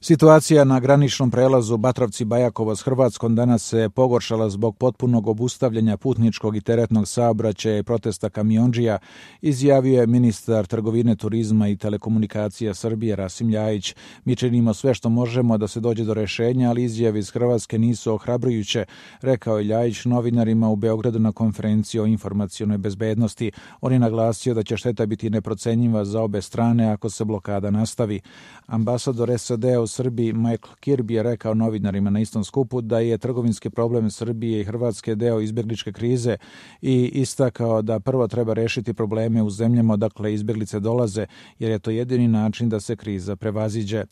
Situacija na graničnom prelazu Batrovci-Bajakovo s Hrvatskom danas se pogoršala zbog potpunog obustavljanja putničkog i teretnog saobraćaja i protesta kamiondžija, izjavio je ministar trgovine, turizma i telekomunikacija Srbije Rasim Ljajić. Mi činimo sve što možemo da se dođe do rešenja, ali izjave iz Hrvatske nisu ohrabrujuće, rekao je Ljajić novinarima u Beogradu na konferenciji o informacionoj bezbednosti. On je naglasio da će šteta biti neprocenjiva za obe strane ako se blokada nastavi. Ambasador SAD-a u Srbiji Michael Kirby je rekao novinarima na istom skupu da je trgovinski problem Srbije i Hrvatske deo izbjegličke krize i istakao da prvo treba rešiti probleme u zemljama odakle izbjeglice dolaze, jer je to jedini način da se kriza prevaziđe.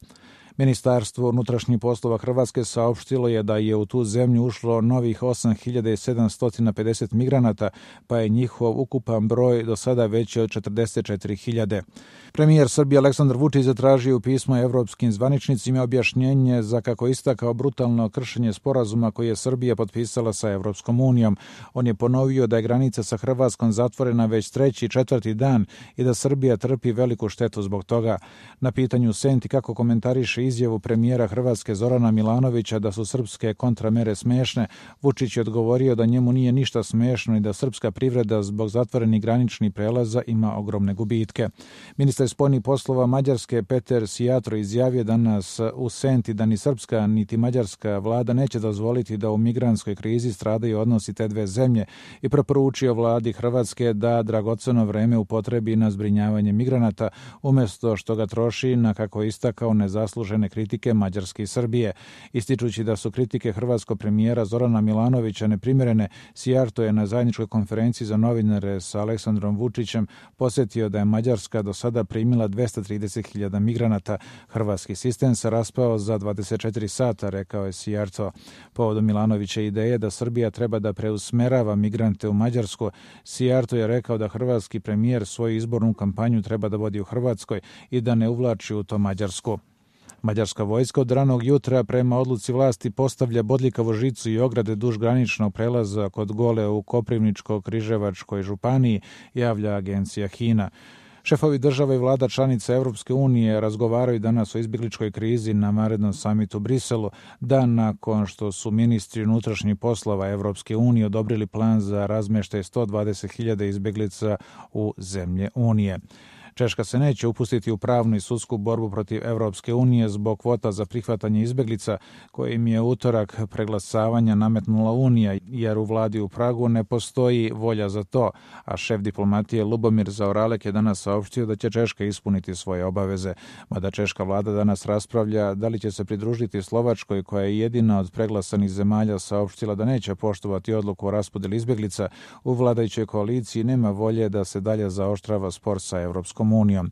Ministarstvo unutrašnjih poslova Hrvatske saopštilo je da je u tu zemlju ušlo novih 8.750 migranata, pa je njihov ukupan broj do sada veći od 44.000. Premijer Srbije Aleksandar Vučić zatražio u pismu evropskim zvaničnicima objašnjenje za, kako istakao, brutalno kršenje sporazuma koji je Srbija potpisala sa Evropskom unijom. On je ponovio da je granica sa Hrvatskom zatvorena već 3. i 4. dan i da Srbija trpi veliku štetu zbog toga. Na pitanju Senti kako komentariše izjavu premijera Hrvatske Zorana Milanovića da su srpske kontramere smešne, Vučić je odgovorio da njemu nije ništa smešno i da srpska privreda zbog zatvorenih graničnih prelaza ima ogromne gubitke. Ministar spoljnih poslova Mađarske Peter Sijatro izjavio danas u Senti da ni srpska niti mađarska vlada neće dozvoliti da u migrantskoj krizi stradaju odnosi te dve zemlje i preporučio vladi Hrvatske da dragoceno vreme upotrebi na zbrinjavanje migranata umjesto što ga troši na, kako je istakao, nezaslužene kritike Mađarske i Srbije. Ističući da su kritike hrvatskog premijera Zorana Milanovića neprimjerene, Sijarto je na zajedničkoj konferenciji za novinare sa Aleksandrom Vučićem posjetio da je Mađarska do sada primila 230.000 migranata. Hrvatski sistem se raspao za 24 sata, rekao je Sijarto. Povodom Milanovića ideje da Srbija treba da preusmerava migrante u Mađarsku, Sijarto je rekao da hrvatski premijer svoju izbornu kampanju treba da vodi u Hrvatskoj i da ne uvlači u to Mađarsku. Mađarska vojska od ranog jutra prema odluci vlasti postavlja bodljikavu žicu i ograde duž graničnog prelaza kod Gole u Koprivničko-Križevačkoj županiji, javlja agencija HINA. Šefovi država i vlada članica Evropske unije razgovaraju danas o izbjegličkoj krizi na vanrednom samitu u Briselu, dan nakon što su ministri unutrašnjih poslova Evropske unije odobrili plan za razmještaj 120.000 izbjeglica u zemlje Unije. Češka se neće upustiti u pravnu i sudsku borbu protiv Evropske unije zbog kvota za prihvatanje izbjeglica koje im je utorak preglasavanja nametnula Unija, jer u vladi u Pragu ne postoji volja za to, a šef diplomatije Lubomir Zaoralek je danas saopštio da će Češka ispuniti svoje obaveze. Mada češka vlada danas raspravlja da li će se pridružiti Slovačkoj, koja je jedina od preglasanih zemalja saopštila da neće poštovati odluku o raspodjeli izbjeglica. U vladajućoj koaliciji nema volje da se dalje zaoštrava spor sa Evropskom unijom.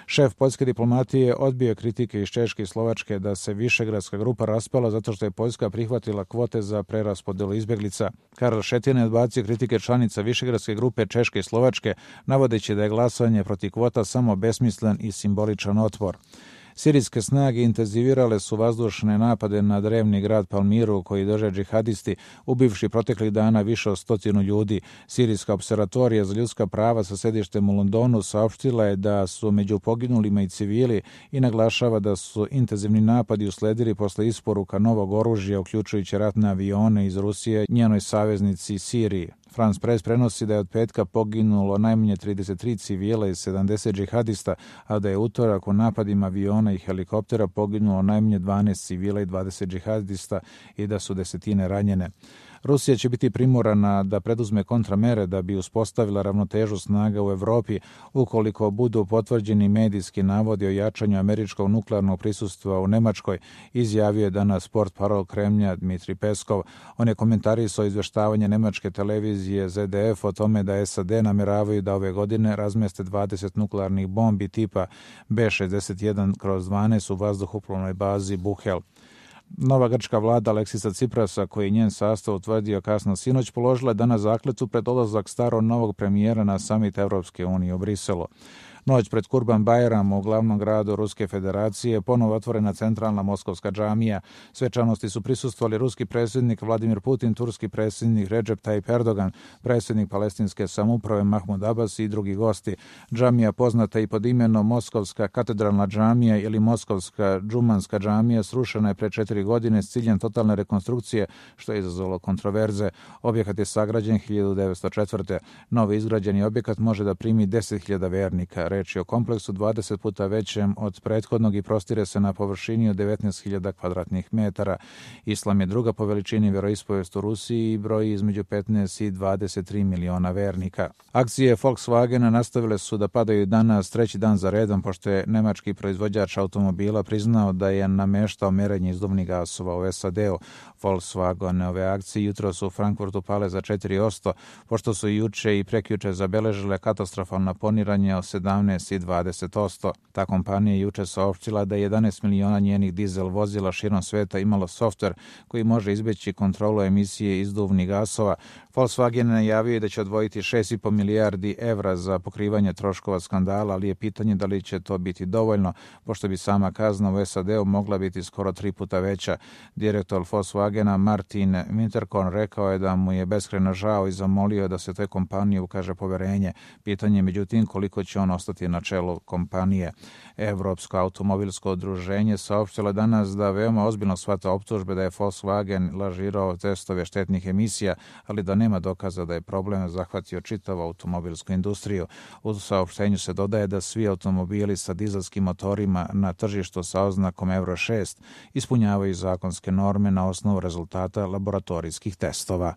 Šef poljske diplomatije odbio kritike iz Češke i Slovačke da se Višegradska grupa raspala zato što je Poljska prihvatila kvote za preraspodelu izbjeglica. Karl Šetin je odbacio kritike članica Višegradske grupe Češke i Slovačke, navodeći da je glasanje protiv kvota samo besmislen i simboličan otpor. Sirijske snage intenzivirale su vazdušne napade na drevni grad Palmiru koji drže džihadisti, ubivši proteklih dana više od 100 ljudi. Sirijska observatorija za ljudska prava sa sedištem u Londonu saopštila je da su među poginulima i civili i naglašava da su intenzivni napadi usledili posle isporuka novog oružja, uključujući ratne avione iz Rusije njenoj saveznici Siriji. France Press prenosi da je od petka poginulo najmanje 33 civila i 70 džihadista, a da je utorak u napadima aviona i helikoptera poginulo najmanje 12 civila i 20 džihadista i da su desetine ranjene. Rusija će biti primorana da preduzme kontramere da bi uspostavila ravnotežu snaga u Evropi ukoliko budu potvrđeni medijski navodi o jačanju američkog nuklearnog prisustva u Nemačkoj, izjavio je danas portparol Kremlja Dmitri Peskov. On je komentarisao izveštavanje nemačke televizije ZDF o tome da SAD nameravaju da ove godine razmeste 20 nuklearnih bombi tipa B-61/12 u vazduhoplovnoj bazi Buhel. Nova grčka vlada Aleksisa Ciprasa, koji je njen sastav utvrdio kasno sinoć, položila je danas zakletvu pred odlazak starog novog premijera na samit Evropske unije u Briselu. Noć pred Kurban Bajram u glavnom gradu Ruske federacije ponovo otvorena centralna moskovska džamija. Svečanosti su prisustvovali ruski predsjednik Vladimir Putin, turski predsjednik Recep Tayyip Erdogan, predsjednik palestinske samouprave Mahmud Abbas i drugi gosti. Džamija, poznata i pod imenom Moskovska katedralna džamija ili Moskovska džumanska džamija, srušena je pre 4 godine s ciljem totalne rekonstrukcije, što je izazvalo kontroverze. Objekat je sagrađen 1904. Novi izgrađeni objekat može da primi 10.000 vernika. Reč je o kompleksu 20 puta većem od prethodnog i prostire se na površini od 19.000 kvadratnih metara. Islam je druga po veličini veroispovest u Rusiji i broji između 15 i 23 miliona vernika. Akcije Volkswagena nastavile su da padaju danas treći dan za redom, pošto je nemački proizvođač automobila priznao da je nameštao merenje izduvnih gasova u SAD-u. Volkswagenove akcije jutro su u Frankfurtu pale za 4%, pošto su juče i prekjuče zabeležile katastrofalno poniranje od 17 i 20%. Ta kompanija juče saopštila da je 11 miliona njenih dizel vozila širom sveta imalo softver koji može izbeći kontrolu emisije izduvnih gasova. Volkswagen najavio da će odvojiti 6,5 milijardi evra za pokrivanje troškova skandala, ali je pitanje da li će to biti dovoljno, pošto bi sama kazna u SAD-u mogla biti skoro 3 puta veća. Direktor Volkswagena Martin Winterkorn rekao je da mu je beskrajno žao i zamolio da se toj kompaniji ukaže poverenje. Pitanje je međutim koliko će on ostati na čelu kompanije. Evropsko automobilsko udruženje saopštilo danas da veoma ozbiljno shvata optužbe da je Volkswagen lažirao testove štetnih emisija, ali da nema dokaza da je problem zahvatio čitavu automobilsku industriju. U saopštenju se dodaje da svi automobili sa dizelskim motorima na tržištu sa oznakom Euro 6 ispunjavaju zakonske norme na osnovu rezultata laboratorijskih testova.